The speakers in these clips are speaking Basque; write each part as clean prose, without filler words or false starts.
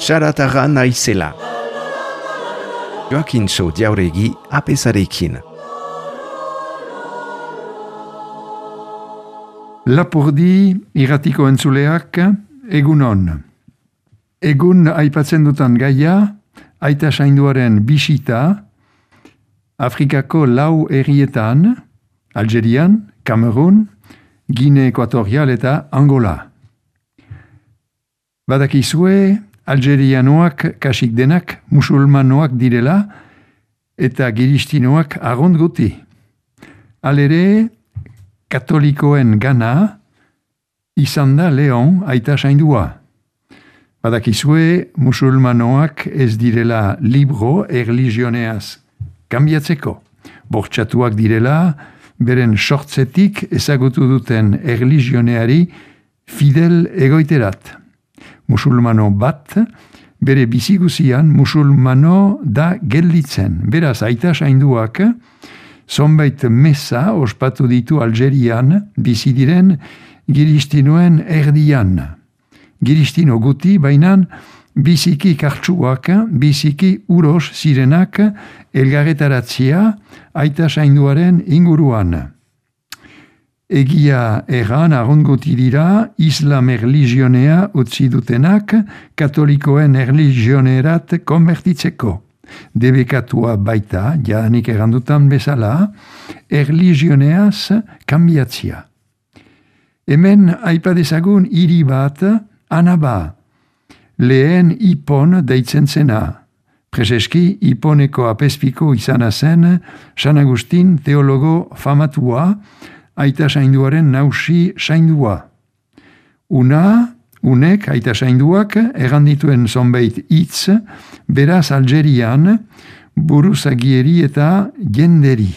Saratarra naizela. Joakintxo Jauregi apesarekin. Lapurdi irratiko entzuleak egunon. Egun aipatzen dutan gaia, aita sainduaren bisita, Afrikako lau herrietan, Algerian, Kamerun, Gine Ekuatorial eta Angola. Badakizue, Algerianoak kasik denak musulmanoak direla eta giristinoak agont guti. Halere, katolikoen gana izan da Leon aita saindua. Badakizue musulmanoak ez direla libro erlijioneaz kanbiatzeko. Bortxatuak direla, beren sortzetik ezagutu duten erlijioneari fidel egoiterat. Musulmano bat, bere biziguzian musulmano da gelditzen. Beraz, aita sainduak, zonbait mesa ospatu ditu Algerian, bizi diren giristinoen erdian. Giristino guti, bainan, biziki kartsuak, biziki uros zirenak elgarretaratzia aita sainduaren inguruan. Egia erran arronguti dira Islam erlijionea utzi dutenak katolikoen erlijionerat konbertitzeko. Debekatua baita, janik errandutan bezala, erlijioneaz kanbiatzia. Hemen aipadezagun hiri bat, Anaba, lehen Ipon deitzen zena. Prezeski Iponeko apezpiko izana zen San Agustin teologo famatua, aita sainduaren nausi saindua. Unek aita sainduak errandituen zonbait hitz, beraz Algerian, buruzagieri eta jenderi.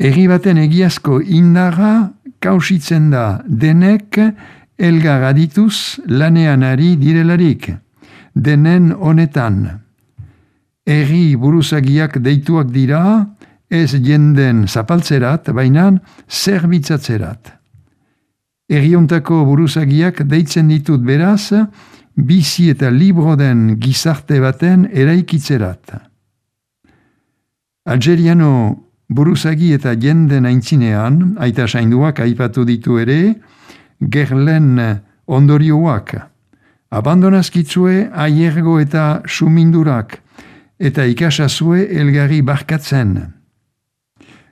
Herri baten egiazko indarra kausitzen da denek elgar adituz lanean ari direlarik, denen honetan. Herri buruzagiak deituak dira, ez jenden zapaltzerat, bainan zerbitzatzerat. Herriontako buruzagiak deitzen ditut beraz, bizi eta libro den gizarte baten eraikitzerat. Algeriano buruzagi eta jenden aintzinean, aita sainduak aipatu ditu ere, gerlen ondorioak. Abandonazkitzue aiergo eta sumindurak, eta ikasazue elgarri barkatzen.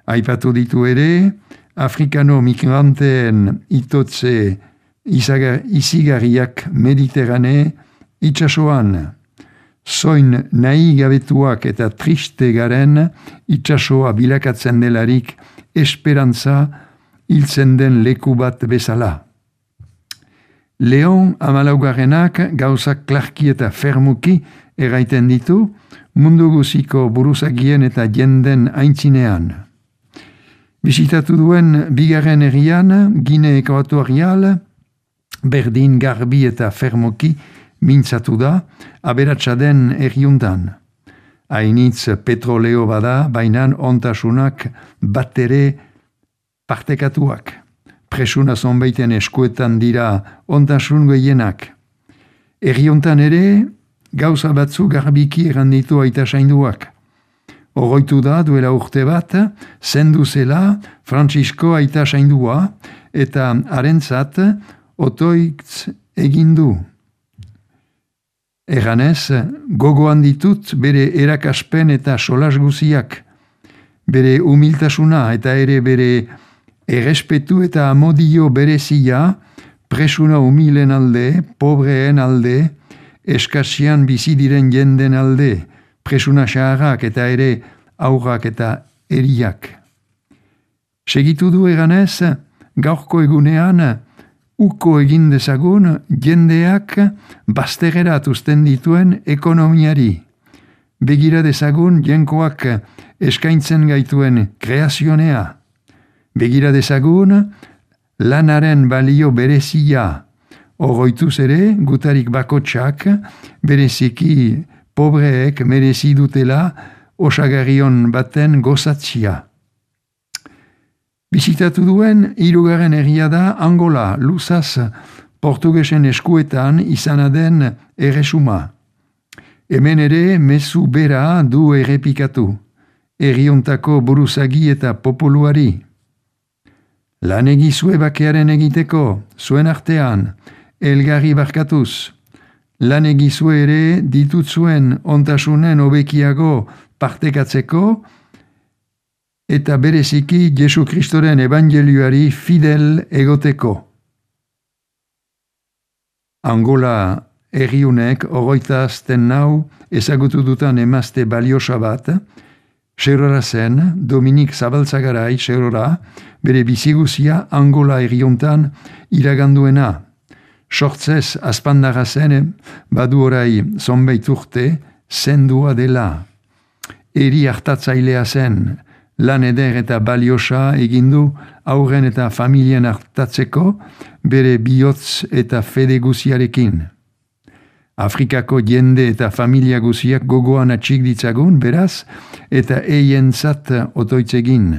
Aipatu ditu ere, Afrikano migranteen itotze izigarriak Mediterrane itxasoan. Zoin nahi gabetuak eta triste garen itxasoa bilakatzen delarik esperantza hiltzen den leku bat bezala. Leon amalaugarrenak gauzak klarki eta fermuki erraiten ditu mundu guziko buruzagien eta jenden aintzinean. Bisitatu duen bigarren herrian, Gine Ekuatorial, berdin garbi eta fermoki mintzatu da, aberatsa den herriuntan. Hainitz petroleo bada, bainan ontasunak bat ere partekatuak. Presuna zonbaiten eskuetan dira ontasun gehienak. Herriuntan ere, gauza batzu garbiki erranditu aita sainduak. Oroitu da duela urte bat, zendu zela Francisco aita saindua eta harentzat otoitz egindu. Erranez, gogoan ditut bere erakaspen eta solas guziak, bere humiltasuna eta ere bere errespetu eta amodio berezia, presuna humilen alde, pobreen alde, eskasian bizi diren jenden alde, presuna xaharrak eta ere aurrak eta eriak. Segitu du eganez, gaurko egunean uko egin dezagun jendeak baztegerat uzten dituen ekonomiari. Begira dezagun jenkoak eskaintzen gaituen kreazionea. Begira dezagun lanaren balio berezia. Oroituz ere, gutarik bakotsak, bereziki pobreek merezi dutela osagarrion baten gozatzia. Bizitatu duen, 3. herria da Angola, luzaz portugesen eskuetan izana den erresuma. Hemen ere mezu bera du errepikatu, herriontako buruzagi eta populuari. Lan egizue bakearen egiteko, zuen artean, elgarri barkatuz, lan egizue ere ditutzuen ontasunen hobekiago partekatzeko, eta bereziki Jesu Kristoren evangelioari fidel egoteko. Angola herriunek 24 ezagutu dutan emazte baliosa bat, Xerora zen, Dominik Zabaltzagarai Xerora, bere biziguzia Angola herriuntan iraganduena. Sortzez azpandarra zen, badu orai zonbait urte, zendua dela. Eri hartatzailea zen, lan eder eta baliosa egindu aurren eta familien hartatzeko bere bihotz eta fede guziarekin. Afrikako jende eta familia guziak gogoan atxik ditzagun, beraz, eta eientzat otoitzegin.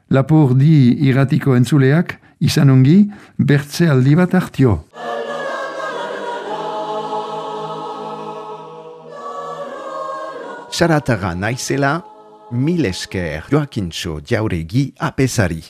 Lapurdi irratiko entzuleak, izan ongi, bertze aldi bat hartio. Sarataga naizela, mil esker Joakintxo Jauregi apesari.